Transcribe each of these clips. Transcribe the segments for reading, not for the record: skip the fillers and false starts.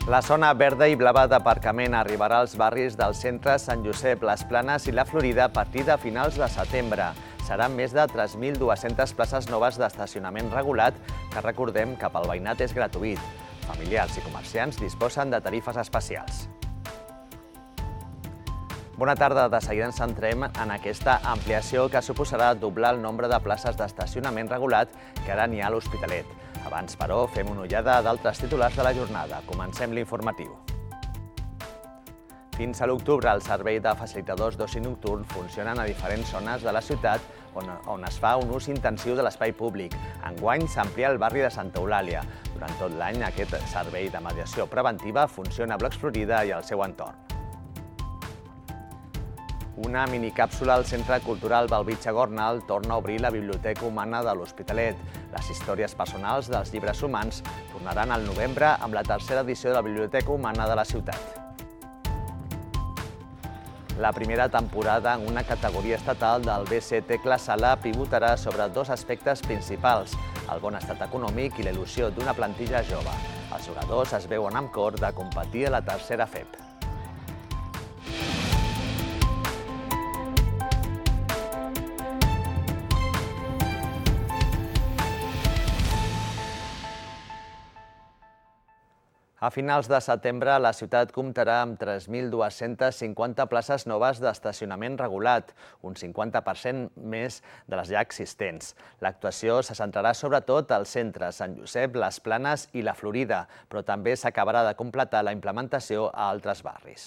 La zona verda i blava d'aparcament arribarà als barris del centre Sant Josep, les Planes i la Florida a partir de finals de setembre. Seran més de 3.200 places noves d'estacionament regulat que, recordem, que pel veïnat és gratuït. Familiars i comerciants disposen de tarifes especials. Bona tarda, de seguida ens centrem en aquesta ampliació que suposarà doblar el nombre de places d'estacionament regulat que ara n'hi ha a l'Hospitalet. Abans, però, fem una ullada d'altres titulars de la jornada. Comencem l'informatiu. Fins a l'octubre, el servei de facilitadors d'oci nocturn funcionen a diferents zones de la ciutat on es fa un ús intensiu de l'espai públic. Enguany s'amplia el barri de Santa Eulàlia. Durant tot l'any, aquest servei de mediació preventiva funciona a Blocs Florida i al seu entorn. Una minicàpsula al Centre Cultural Bellvitge Gornal torna a obrir la Biblioteca Humana de l'Hospitalet. Les històries personals dels llibres humans tornaran al novembre amb la tercera edició de la Biblioteca Humana de la ciutat. La primera temporada en una categoria estatal del BC Tecla Sala pivotarà sobre dos aspectes principals, el bon estat econòmic i la il·lusió d'una plantilla jove. Els jugadors es veuen amb cor de competir a la tercera FEP. A finals de setembre, la ciutat comptarà amb 3.250 places noves d'estacionament regulat, un 50% més de les ja existents. L'actuació se centrarà sobretot al centre, Sant Josep, les Planes i la Florida, però també s'acabarà de completar la implementació a altres barris.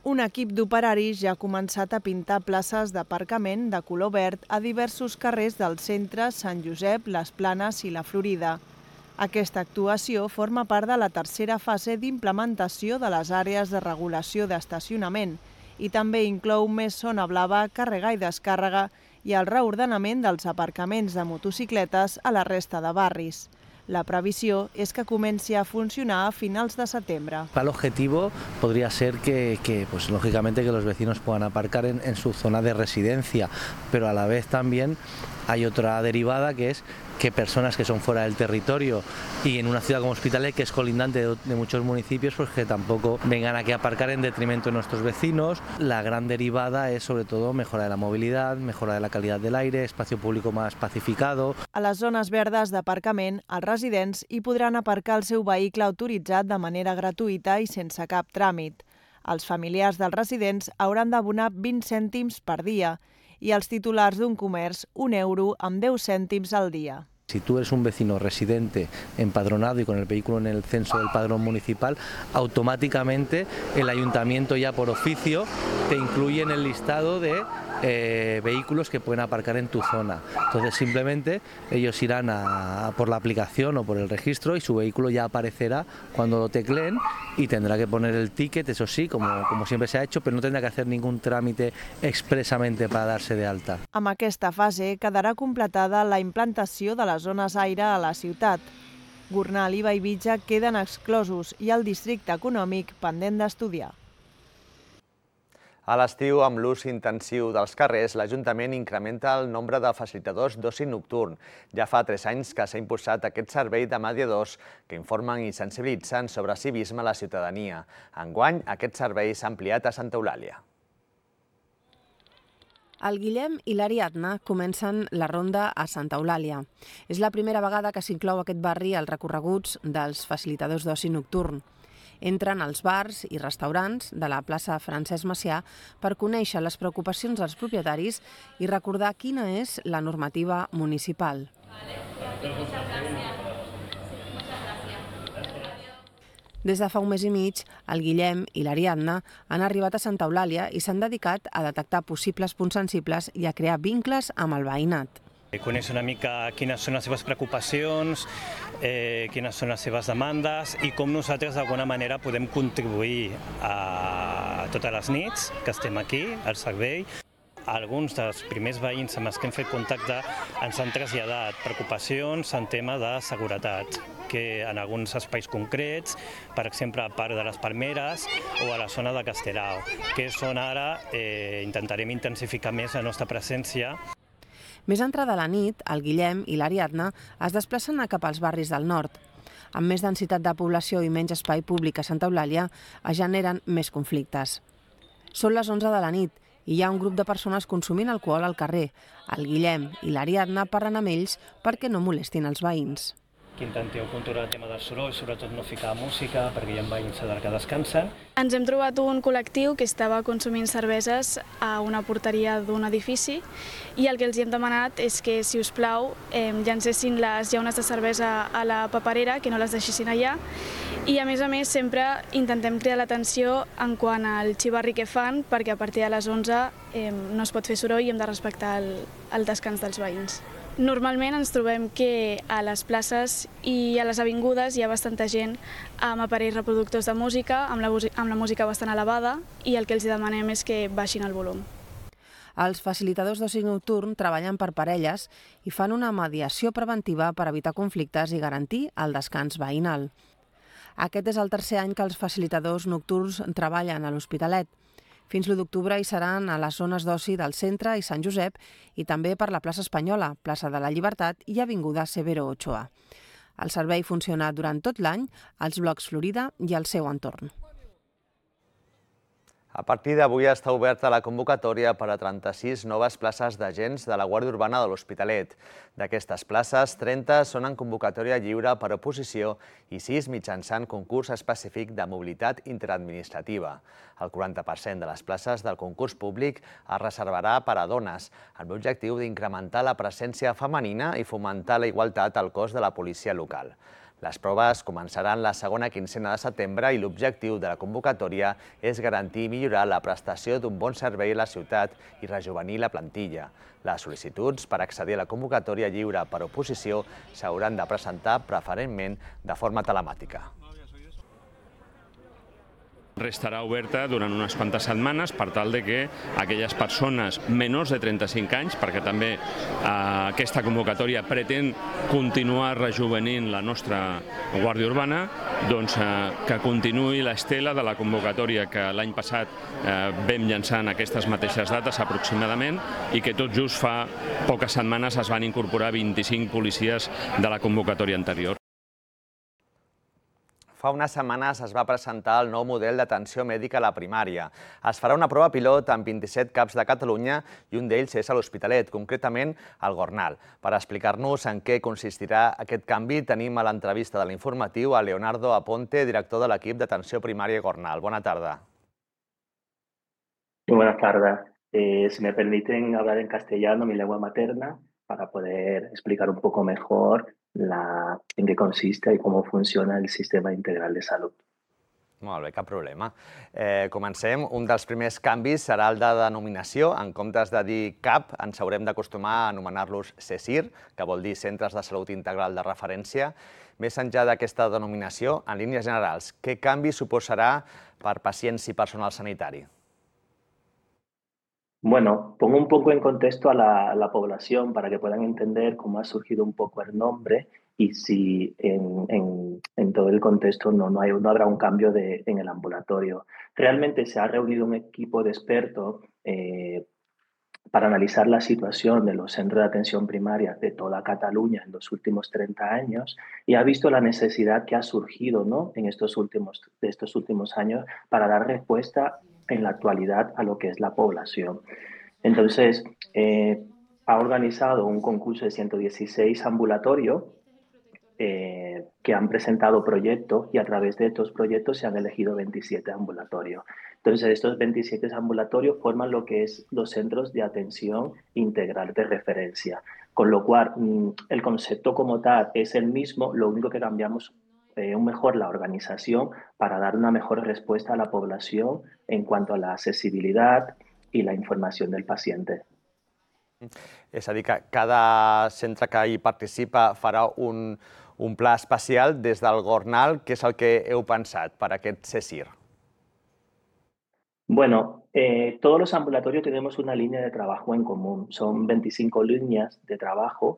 Un equip d'operaris ja ha començat a pintar places d'aparcament de color verd a diversos carrers del centre, Sant Josep, les Planes i la Florida. Aquesta actuació forma part de la tercera fase d'implementació de les àrees de regulació d'estacionament i també inclou més zona blava, càrrega i descàrrega i el reordenament dels aparcaments de motocicletes a la resta de barris. La previsió és que comenci a funcionar a finals de setembre. El objetivo podría ser lógicamente que los vecinos puedan aparcar en su zona de residencia, pero a la vez también hay otra derivada que es que personas que son fuera del territorio y en una ciudad como Hospitalet, que es colindante de muchos municipios, pues que tampoco vengan aquí a aparcar en detrimento de nuestros vecinos. La gran derivada es sobre todo mejora de la movilidad, mejora de la calidad del aire, espacio público más pacificado. A les zones verdes d'aparcament, els residents hi podran aparcar el seu vehicle autoritzat de manera gratuïta i sense cap tràmit. Els familiars dels residents hauran d'abonar 20 cèntims per dia i els titulars d'un comerç €1 amb 10 cèntims al dia. Si tú eres un vecino residente empadronado y con el vehículo en el censo del padrón municipal, automáticamente el ayuntamiento ya por oficio te incluye en el listado de vehículos que pueden aparcar en tu zona. Entonces simplemente ellos irán por la aplicación o por el registro y su vehículo ya aparecerá cuando lo tecleen y tendrá que poner el ticket, eso sí, como siempre se ha hecho, pero no tendrá que hacer ningún trámite expresamente para darse de alta. Amb aquesta fase quedarà completada la implantació de les zones aire a la ciutat. Gornal i Bellvitge queden exclosos i el districte econòmic pendent d'estudiar. A l'estiu, amb l'ús intensiu dels carrers, l'Ajuntament incrementa el nombre de facilitadors d'oci nocturn. Ja fa 3 anys que s'ha impulsat aquest servei de mediadors que informen i sensibilitzen sobre civisme a la ciutadania. Enguany, aquest servei s'ha ampliat a Santa Eulàlia. El Guillem i l'Ariadna comencen la ronda a Santa Eulàlia. És la primera vegada que s'inclou aquest barri als recorreguts dels facilitadors d'oci nocturn. Entren als bars i restaurants de la plaça Francesc Macià per conèixer les preocupacions dels propietaris i recordar quina és la normativa municipal. Des de fa un mes i mig, el Guillem i l'Ariadna han arribat a Santa Eulàlia i s'han dedicat a detectar possibles punts sensibles i a crear vincles amb el veïnat. Conèixer una mica quines són les seves preocupacions, quines són les seves demandes i com nosaltres d'alguna manera podem contribuir a totes les nits que estem aquí, al servei. Alguns dels primers veïns amb els que hem fet contacte ens han traslladat preocupacions en tema de seguretat, que en alguns espais concrets, per exemple a part de les Palmeres o a la zona de Castelao, que és on ara intentarem intensificar més la nostra presència. Més entrada la nit, el Guillem i l'Ariadna es desplacen cap als barris del nord. Amb més densitat de població i menys espai públic a Santa Eulàlia, es generen més conflictes. Són les 11 de la nit i hi ha un grup de persones consumint alcohol al carrer. El Guillem i l'Ariadna parlen amb ells perquè no molestin els veïns. Que intenteu controlar el tema del soroll, sobretot no ficar música, perquè hi ha veïns que descansen. Ens hem trobat un col·lectiu que estava consumint cerveses a una porteria d'un edifici i el que els hem demanat és que, si us plau, llancessin les llaunes de cervesa a la paperera, que no les deixessin allà. I, a més, sempre intentem cridar l'atenció en quant al xivarri que fan, perquè a partir de les 11 no es pot fer soroll i hem de respectar el descans dels veïns. Normalment ens trobem que a les places i a les avingudes hi ha bastanta gent amb aparells reproductors de música, amb la música bastant elevada, i el que els demanem és que baixin el volum. Els facilitadors d'oci nocturn treballen per parelles i fan una mediació preventiva per evitar conflictes i garantir el descans veïnal. Aquest és el tercer any que els facilitadors nocturns treballen a l'Hospitalet. Fins l'1 d'octubre hi seran a les zones d'oci del centre i Sant Josep i també per la plaça Espanyola, plaça de la Llibertat i avinguda Severo Ochoa. El servei funciona durant tot l'any als blocs Florida i al seu entorn. A partir d'avui està oberta la convocatòria per a 36 noves places d'agents de la Guàrdia Urbana de l'Hospitalet. D'aquestes places, 30 són en convocatòria lliure per oposició i 6 mitjançant concurs específic de mobilitat interadministrativa. El 40% de les places del concurs públic es reservarà per a dones, amb l'objectiu d'incrementar la presència femenina i fomentar la igualtat al cos de la policia local. Les proves començaran la segona quincena de setembre i l'objectiu de la convocatòria és garantir i millorar la prestació d'un bon servei a la ciutat i rejovenir la plantilla. Les sol·licituds per accedir a la convocatòria lliure per oposició s'hauran de presentar preferentment de forma telemàtica. Restarà oberta durant unes quantes setmanes per tal de que aquelles persones menors de 35 anys, perquè també aquesta convocatòria pretén continuar rejovenint la nostra Guàrdia Urbana, doncs que continuï l'estela de la convocatòria que l'any passat vam llançar en aquestes mateixes dates aproximadament i que tot just fa poques setmanes es van incorporar 25 policies de la convocatòria anterior. Fa unes setmanes es va presentar el nou model d'atenció mèdica a la primària. Es farà una prova pilot amb 27 CAPs de Catalunya i un d'ells és a l'Hospitalet, concretament al Gornal. Per explicar-nos en què consistirà aquest canvi, tenim a l'entrevista de l'informatiu a Leonardo Aponte, director de l'equip d'atenció primària Gornal. Bona tarda. Buenas tardes. Si me permiten hablar en castellano, mi lengua materna, para poder explicar un poco mejor en qué consiste y cómo funciona el sistema integral de salud. Molt bé, cap problema. Comencem. Un dels primers canvis serà el de denominació. En comptes de dir CAP, ens haurem d'acostumar a anomenar-los CSIR, que vol dir Centres de Salut Integral de Referència. Més enllà d'aquesta denominació, en línies generals, què canvi suposarà per pacients i personal sanitari? Bueno, pongo un poco en contexto a la población para que puedan entender cómo ha surgido un poco el nombre y si en todo el contexto no habrá un cambio en el ambulatorio. Realmente se ha reunido un equipo de expertos para analizar la situación de los centros de atención primaria de toda Cataluña en los últimos 30 años y ha visto la necesidad que ha surgido, ¿no?, en estos últimos años para dar respuesta en la actualidad a lo que es la población. Entonces, ha organizado un concurso de 116 ambulatorios que han presentado proyectos y a través de estos proyectos se han elegido 27 ambulatorios. Entonces, estos 27 ambulatorios forman lo que es los centros de atención integral de referencia, con lo cual el concepto como tal es el mismo, lo único que cambiamos mejor la organización para dar una mejor respuesta a la población en cuanto a la accesibilidad y la información del paciente. És a dir, que cada centre que hi participa farà un pla especial des del Gornal. Què és el que heu pensat per aquest CSIR? Bueno, todos los ambulatorios tenemos una línea de trabajo en común. Son 25 líneas de trabajo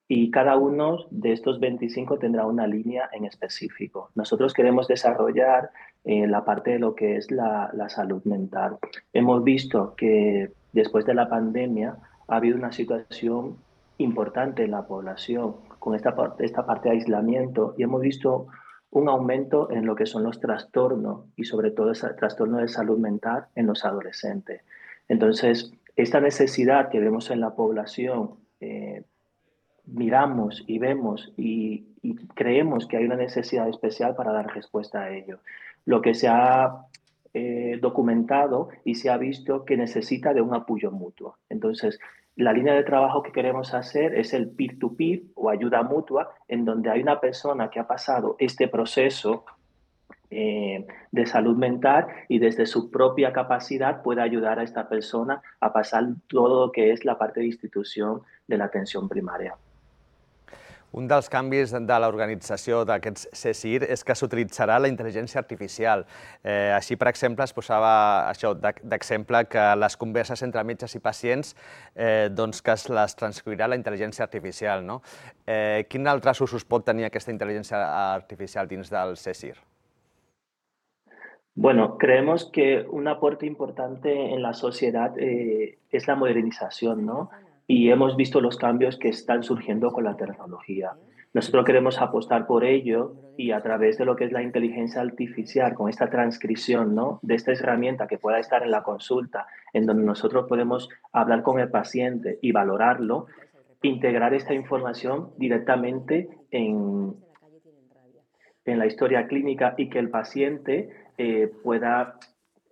y cada uno de estos 25 tendrá una línea en específico. Nosotros queremos desarrollar la parte de lo que es la salud mental. Hemos visto que después de la pandemia ha habido una situación importante en la población con esta parte de aislamiento y hemos visto un aumento en lo que son los trastornos y sobre todo ese trastorno de salud mental en los adolescentes. Entonces, esta necesidad que vemos en la población, miramos y vemos y creemos que hay una necesidad especial para dar respuesta a ello. Lo que se ha documentado y se ha visto que necesita de un apoyo mutuo. Entonces, la línea de trabajo que queremos hacer es el peer-to-peer o ayuda mutua, en donde hay una persona que ha pasado este proceso de salud mental y desde su propia capacidad puede ayudar a esta persona a pasar todo lo que es la parte de institución de la atención primaria. Un dels canvis de l'organització d'aquests CSIR és que s'utilitzarà la intel·ligència artificial. Així, per exemple, es posava això d'exemple que les converses entre metges i pacients doncs que es les transcriurà la intel·ligència artificial. No? Quin altres usos pot tenir aquesta intel·ligència artificial dins del CSIR? Bueno, creemos que un aporte importante en la sociedad es la modernización, ¿no? Y hemos visto los cambios que están surgiendo con la tecnología. Nosotros queremos apostar por ello y a través de lo que es la inteligencia artificial, con esta transcripción, ¿no? De esta herramienta que pueda estar en la consulta, en donde nosotros podemos hablar con el paciente y valorarlo, integrar esta información directamente en la historia clínica y que el paciente pueda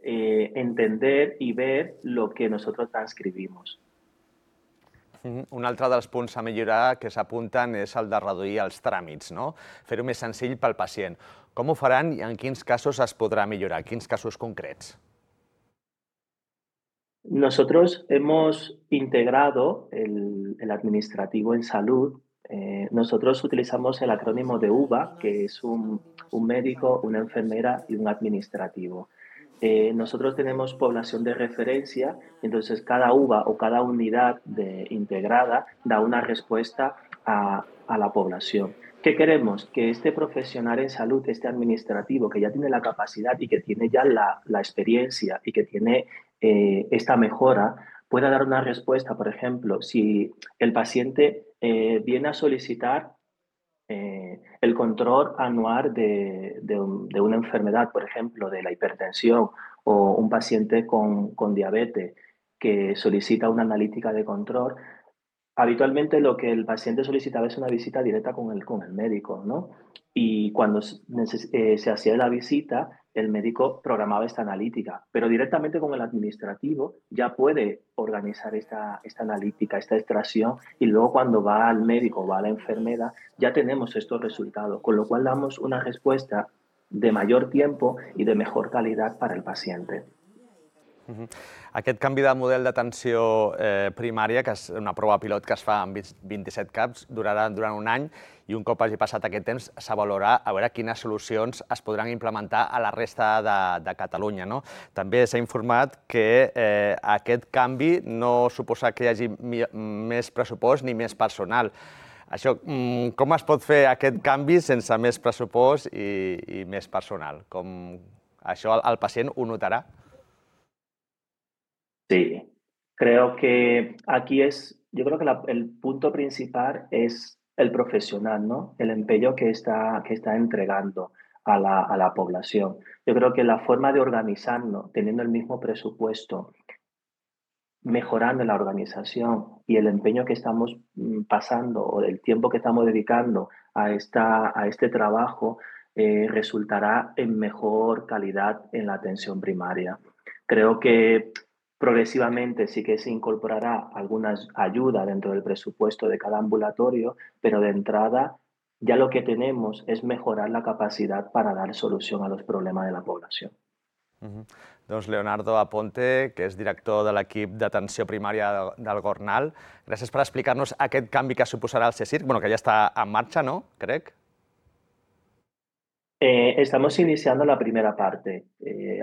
entender y ver lo que nosotros transcribimos. Un altre dels punts a millorar que s'apunten és el de reduir els tràmits, no? Fer-ho més senzill pel pacient. Com ho faran i en quins casos es podrà millorar? Quins casos concrets? Nosotros hemos integrado el administrativo en salud. Nosotros utilizamos el acrónimo de UVA, que es un médico, una enfermera y un administrativo. Nosotros tenemos población de referencia, entonces cada UVA o cada unidad integrada da una respuesta a la población. ¿Qué queremos? Que este profesional en salud, este administrativo, que ya tiene la capacidad y que tiene ya la experiencia y que tiene esta mejora, pueda dar una respuesta. Por ejemplo, si el paciente viene a solicitar el control anual de una enfermedad, por ejemplo, de la hipertensión, o un paciente con diabetes que solicita una analítica de control, habitualmente lo que el paciente solicitaba es una visita directa con el médico, ¿no? Y cuando se hacía la visita, el médico programaba esta analítica, pero directamente con el administrativo ya puede organizar esta analítica, esta extracción, y luego cuando va al médico o va a la enfermera ya tenemos estos resultados, con lo cual damos una respuesta de mayor tiempo y de mejor calidad para el paciente. Aquest canvi de model d'atenció primària, que és una prova pilot que es fa en 27 CAPs, durarà durant un any i un cop hagi passat aquest temps s'avaluarà a veure quines solucions es podran implementar a la resta de Catalunya. També s'ha informat que aquest canvi no suposa que hi hagi més pressupost ni més personal. Això, com es pot fer aquest canvi sense més pressupost i més personal? Això el pacient ho notarà? Sí, creo que aquí yo creo que el punto principal es el profesional, ¿no? El empeño que está entregando a la población. Yo creo que la forma de organizarnos, teniendo el mismo presupuesto, mejorando la organización y el empeño que estamos pasando o el tiempo que estamos dedicando a este trabajo, resultará en mejor calidad en la atención primaria. Creo que progresivamente sí que se incorporará alguna ayuda dentro del presupuesto de cada ambulatorio, pero de entrada ya lo que tenemos es mejorar la capacidad para dar solución a los problemas de la población. Doncs Leonardo Aponte, que és director de l'equip d'atenció primària del Gornal, gràcies per explicar-nos aquest canvi que suposarà el CSIR, que ja està en marxa, no? Crec. Estamos iniciando la primera parte.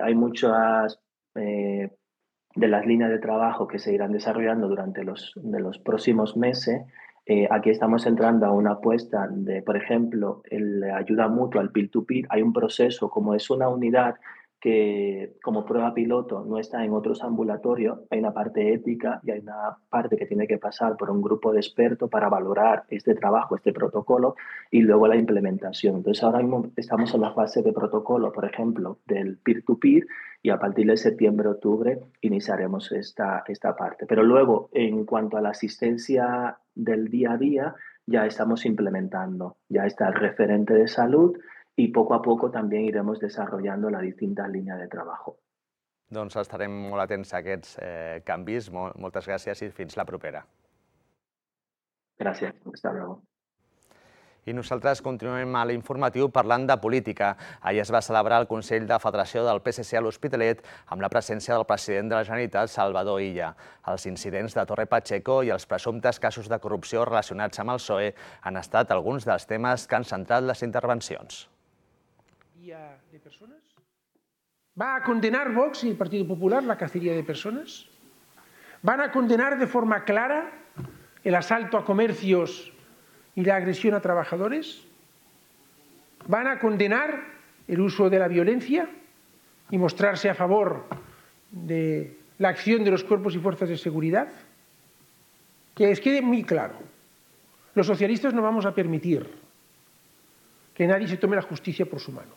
Hay muchas de las líneas de trabajo que se irán desarrollando durante los próximos meses. Aquí estamos entrando a una apuesta de, por ejemplo, la ayuda mutua, el peer-to-peer. Hay un proceso, como es una unidad que como prueba piloto no está en otros ambulatorios, hay una parte ética y hay una parte que tiene que pasar por un grupo de expertos para valorar este trabajo, este protocolo y luego la implementación. Entonces ahora mismo estamos en la fase de protocolo, por ejemplo, del peer-to-peer y a partir de septiembre-octubre iniciaremos esta parte. Pero luego, en cuanto a la asistencia del día a día, ya estamos implementando, ya está el referente de salud i poc a poc també irem desenvolupant les distintes línies de treball. Doncs estarem molt atents a aquests canvis. Moltes gràcies i fins la propera. Gràcies. Hasta luego. I nosaltres continuem a l'informatiu parlant de política. Ahir es va celebrar el Consell de Federació del PSC a l'Hospitalet amb la presència del president de la Generalitat, Salvador Illa. Els incidents de Torre Pacheco i els presumptes casos de corrupció relacionats amb el PSOE han estat alguns dels temes que han centrat les intervencions. De personas? ¿Va a condenar Vox y el Partido Popular la cacería de personas? ¿Van a condenar de forma clara el asalto a comercios y la agresión a trabajadores? ¿Van a condenar el uso de la violencia y mostrarse a favor de la acción de los cuerpos y fuerzas de seguridad? Que les quede muy claro, los socialistas no vamos a permitir que nadie se tome la justicia por su mano.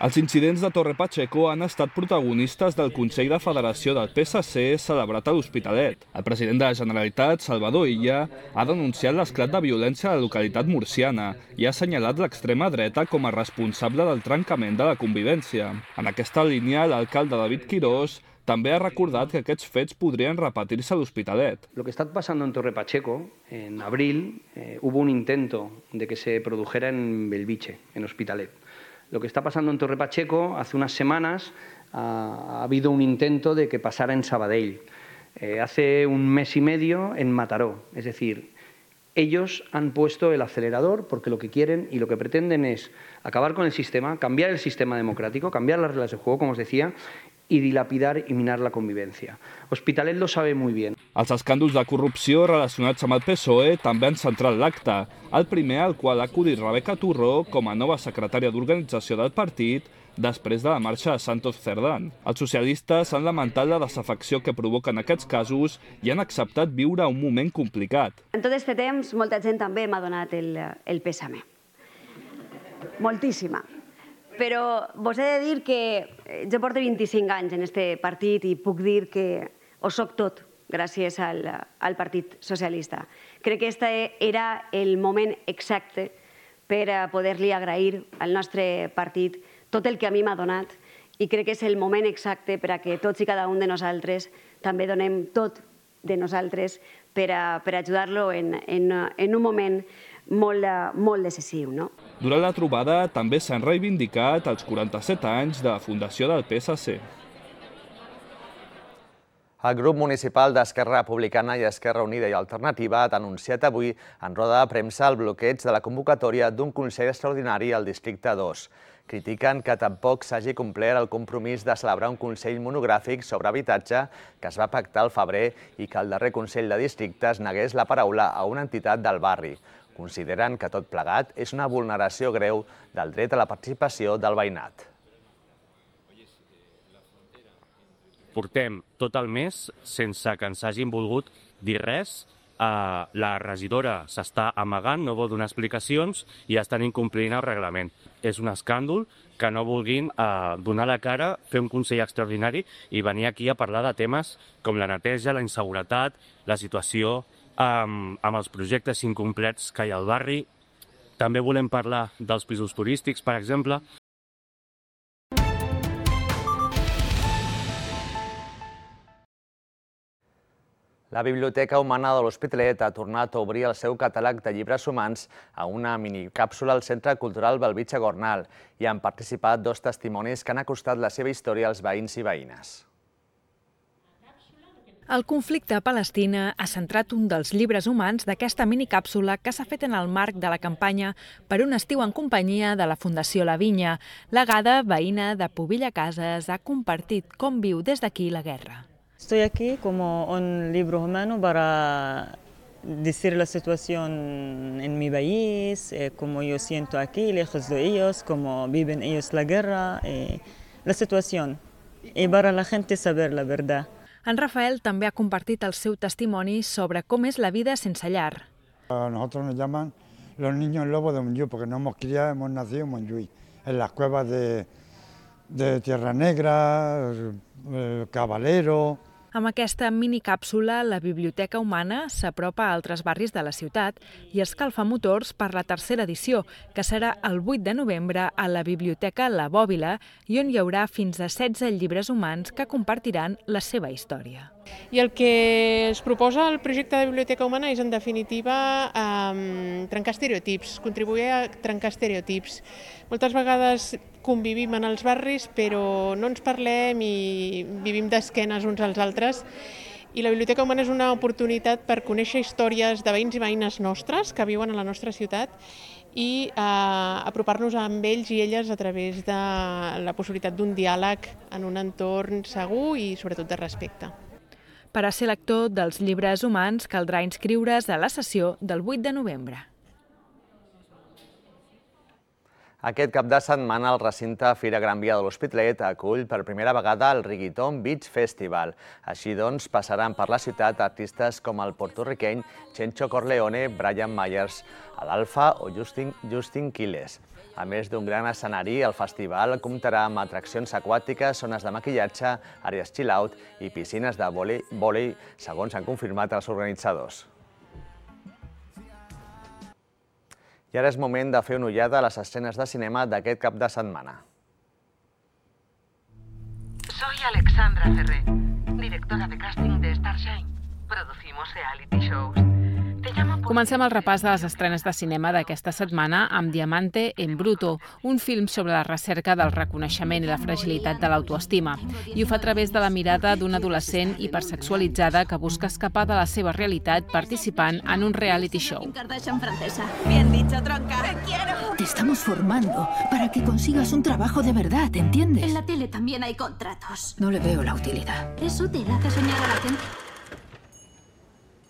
Els incidents de Torre Pacheco han estat protagonistes del Consell de Federació del PSC celebrat a l'Hospitalet. El president de la Generalitat, Salvador Illa, ha denunciat l'esclat de violència a la localitat murciana i ha assenyalat l'extrema dreta com a responsable del trencament de la convivència. En aquesta línia, l'alcalde David Quirós també ha recordat que aquests fets podrien repetir-se a l'Hospitalet. Lo que está pasando en Torre Pacheco, en abril, hubo un intento de que se produjera en Belviche, en Hospitalet. Lo que está pasando en Torre Pacheco, hace unas semanas ha habido un intento de que pasara en Sabadell. Hace un mes y medio en Mataró. Es decir, ellos han puesto el acelerador porque lo que quieren y lo que pretenden es acabar con el sistema, cambiar el sistema democrático, cambiar las reglas de juego, como os decía, i dilapidar i minar la convivència. Hospitalet lo sabe muy bien. Els escàndols de corrupció relacionats amb el PSOE també han centrat l'acte. El primer al qual ha acudit Rebeca Turró com a nova secretària d'organització del partit després de la marxa de Santos Cerdán. Els socialistes han lamentat la desafecció que provoquen aquests casos i han acceptat viure un moment complicat. En tot aquest temps, molta gent també m'ha donat el pèsame. Moltíssima. Però vos he de dir que jo porto 25 anys en aquest partit i puc dir que ho soc tot gràcies al Partit Socialista. Crec que aquest era el moment exacte per a poder-li agrair al nostre partit tot el que a mi m'ha donat i crec que és el moment exacte per a que tots i cada un de nosaltres també donem tot de nosaltres per a ajudar-lo en un moment molt decisiu. Durant la trobada també s'han reivindicat els 47 anys de la fundació del PSC. El grup municipal d'Esquerra Republicana i Esquerra Unida i Alternativa ha denunciat avui en roda de premsa el bloqueig de la convocatòria d'un Consell Extraordinari al Districte 2. Critiquen que tampoc s'hagi complert el compromís de celebrar un Consell monogràfic sobre habitatge que es va pactar al febrer i que el darrer Consell de Districtes negués la paraula a una entitat del barri. Consideren que tot plegat és una vulneració greu del dret a la participació del veïnat. Portem tot el mes sense que ens hagin volgut dir res. La regidora s'està amagant, no vol donar explicacions i estan incomplint el reglament. És un escàndol que no vulguin donar la cara, fer un Consell Extraordinari i venir aquí a parlar de temes com la neteja, la inseguretat, la situació amb els projectes incomplets que hi ha al barri. També volem parlar dels pisos turístics, per exemple. La Biblioteca Humana de l'Hospitalet ha tornat a obrir el seu catàleg de llibres humans a una minicàpsula al Centre Cultural Belvitge Gornal i han participat 2 testimonis que han acostat la seva història als veïns i veïnes. El conflicte a Palestina ha centrat un dels llibres humans d'aquesta minicàpsula que s'ha fet en el marc de la campanya Per un estiu en companyia de la Fundació La Vinya. La Gada, veïna de Pobilla Cases, ha compartit com viu des d'aquí la guerra. Estoy aquí como un libro humano para decir la situación en mi país, cómo yo siento aquí, lejos de ellos, cómo viven ellos la guerra, la situación. I para la gente saber la verdad. En Rafael també ha compartit el seu testimoni sobre com és la vida sense llar. A nosotros nos llaman los niños lobos de Montjuïc, porque nos hemos criado, hemos nacido en Montjuïc, en las cuevas de Tierra Negra, Cabalero. Amb aquesta minicàpsula, la Biblioteca Humana s'apropa a altres barris de la ciutat i escalfa motors per la tercera edició, que serà el 8 de novembre a la Biblioteca La Bòbila i on hi haurà fins a 16 llibres humans que compartiran la seva història. I el que es proposa el projecte de Biblioteca Humana és, en definitiva, trencar estereotips, contribuir a trencar estereotips. Moltes vegades convivim en els barris, però no ens parlem i vivim d'esquenes uns als altres. I la Biblioteca Humana és una oportunitat per conèixer històries de veïns i veïnes nostres que viuen a la nostra ciutat i apropar-nos amb ells i elles a través de la possibilitat d'un diàleg en un entorn segur i, sobretot, de respecte. Per a ser lector dels llibres humans caldrà inscriure's a la sessió del 8 de novembre. Aquest cap de setmana el recinte Fira Gran Via de l'Hospitalet acull per primera vegada el Reggaeton Beach Festival. Així doncs, passaran per la ciutat artistes com el porto-riqueny Chencho Corleone, Brian Myers, l'Alfa o Justin Quiles. A més d'un gran escenari, el festival comptarà amb atraccions aquàtiques, zones de maquillatge, àrees chill-out i piscines de vòlei, segons han confirmat els organitzadors. I ara és moment de fer una ullada a les escenes de cinema d'aquest cap de setmana. Soy Alexandra Ferrer, directora de casting de Starshine. Producimos reality shows. Comencem el repàs de les estrenes de cinema d'aquesta setmana amb Diamante en Bruto, un film sobre la recerca del reconeixement i la fragilitat de l'autoestima. I ho fa a través de la mirada d'una adolescent hipersexualitzada que busca escapar de la seva realitat participant en un reality show. Kardashian francesa. Bien dicho, tronca. Te quiero. Te estamos formando para que consigas un trabajo de verdad, ¿entiendes? En la tele también hay contratos. No le veo la utilidad. Es útil, hace soñar a la gente.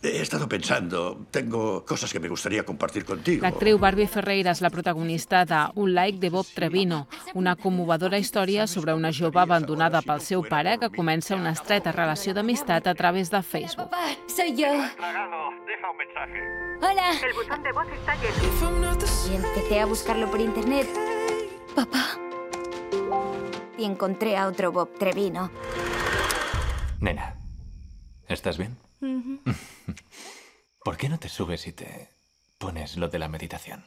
He estado pensando, tengo cosas que me gustaría compartir contigo. L'actriu Barbie Ferreira és la protagonista de Un like de Bob Trevino, una commovedora història sobre una jove abandonada pel seu pare que comença una estreta relació d'amistat a través de Facebook. Papá, soy yo. Deja un mensaje. Hola. El buzón de voz está lleno. Y empecé a buscarlo por internet. Papá. Y encontré a otro Bob Trevino. Nena, ¿estás bien? ¿Por qué no te subes y te pones lo de la meditación?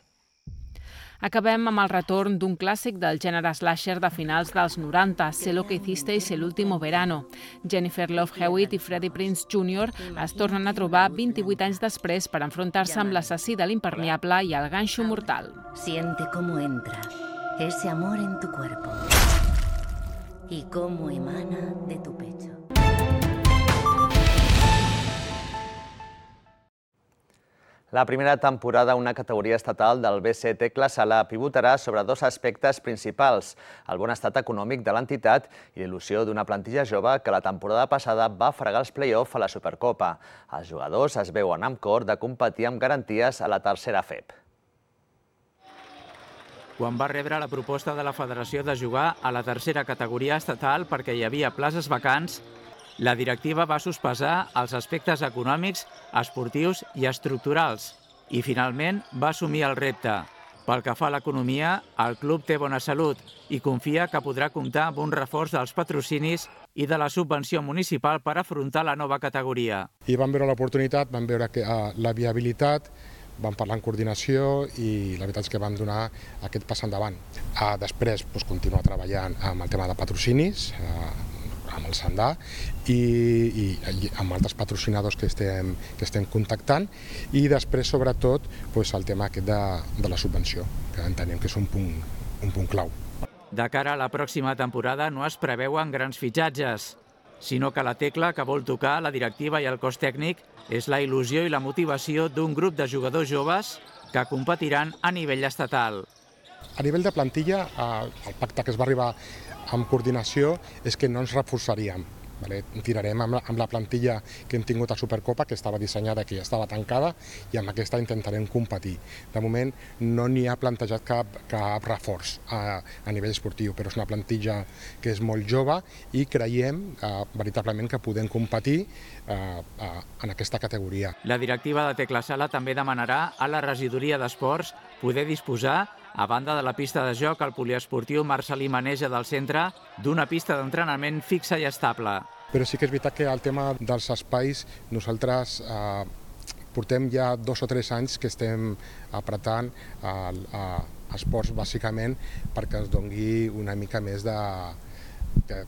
Acabem amb el retorn d'un clàssic del gènere slasher de finals dels 90, Sé lo que hicisteis el último verano. Jennifer Love Hewitt i Freddie Prinze Jr. es tornen a trobar 28 anys després per enfrontar-se amb l'assassí de l'impermeable i el ganxo mortal. Siente cómo entra ese amor en tu cuerpo y cómo emana de tu pecho. La primera temporada, una categoria estatal del BC Tecla Sala, pivotarà sobre dos aspectes principals, el bon estat econòmic de l'entitat i l'il·lusió d'una plantilla jove que la temporada passada va fregar els play-off a la Supercopa. Els jugadors es veuen amb cor de competir amb garanties a la tercera FEP. Quan va rebre la proposta de la federació de jugar a la tercera categoria estatal perquè hi havia places vacants, la directiva va sospesar els aspectes econòmics, esportius i estructurals i, finalment, va assumir el repte. Pel que fa a l'economia, el club té bona salut i confia que podrà comptar amb un reforç dels patrocinis i de la subvenció municipal per afrontar la nova categoria. I vam veure l'oportunitat, vam veure la viabilitat, vam parlar en coordinació i la veritat és que vam donar aquest pas endavant. Després, continuar treballant amb el tema de patrocinis, amb el Sandà i amb altres patrocinadors que estem contactant i després, sobretot, el tema aquest de la subvenció, que entenem que és un punt clau. De cara a la pròxima temporada no es preveuen grans fitxatges, sinó que la tecla que vol tocar la directiva i el cos tècnic és la il·lusió i la motivació d'un grup de jugadors joves que competiran a nivell estatal. A nivell de plantilla, el pacte que es va arribar amb coordinació és que no ens reforçaríem. Tirarem amb la plantilla que hem tingut a Supercopa, que estava dissenyada, que ja estava tancada, i amb aquesta intentarem competir. De moment no n'hi ha plantejat cap reforç a nivell esportiu, però és una plantilla que és molt jove i creiem veritablement que podem competir en aquesta categoria. La directiva de Tecla Sala també demanarà a la regidoria d'esports poder disposar, a banda de la pista de joc, al poliesportiu Marcelí Maneja del centre, d'una pista d'entrenament fixa i estable. Però sí que és veritat que el tema dels espais, nosaltres portem ja 2 o 3 anys que estem apretant esports bàsicament perquè ens doni una mica més de... que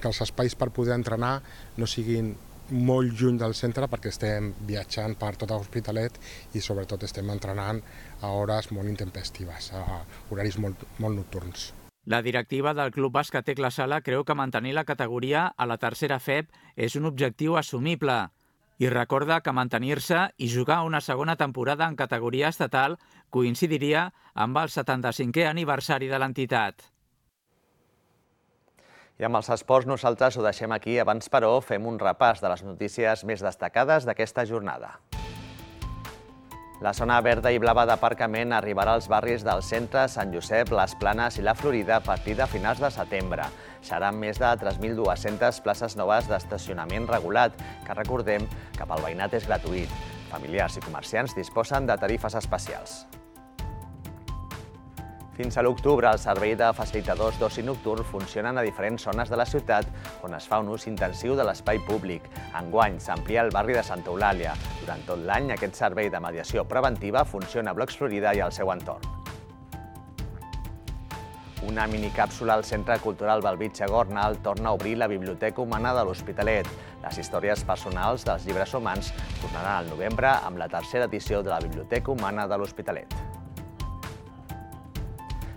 els espais per poder entrenar no siguin molt lluny del centre, perquè estem viatjant per tot l'Hospitalet i sobretot estem entrenant a hores molt intempestives, a horaris molt nocturns. La directiva del Club Bàsquet Tecla Sala creu que mantenir la categoria a la tercera FEB és un objectiu assumible i recorda que mantenir-se i jugar una segona temporada en categoria estatal coincidiria amb el 75è aniversari de l'entitat. I amb els esports nosaltres ho deixem aquí. Abans, però, fem un repàs de les notícies més destacades d'aquesta jornada. La zona verda i blava d'aparcament arribarà als barris del centre, Sant Josep, les Planes i la Florida a partir de finals de setembre. Seran més de 3.200 places noves d'estacionament regulat, que recordem que pel veïnat és gratuït. Familiars i comerciants disposen de tarifes especials. Fins a l'octubre, el servei de facilitadors d'oci nocturn funcionen a diferents zones de la ciutat on es fa un ús intensiu de l'espai públic. Enguany s'amplia el barri de Santa Eulàlia. Durant tot l'any, aquest servei de mediació preventiva funciona a Blocs Florida i al seu entorn. Una minicàpsula al Centre Cultural Bellvitge Gornal torna a obrir la Biblioteca Humana de l'Hospitalet. Les històries personals dels llibres humans tornaran al novembre amb la tercera edició de la Biblioteca Humana de l'Hospitalet.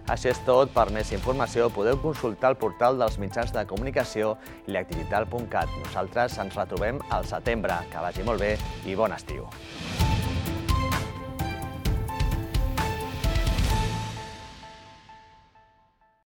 Això és tot. Per més informació podeu consultar el portal dels mitjans de comunicació i l'activital.cat. Nosaltres ens retrobem al setembre. Que vagi molt bé i bon estiu.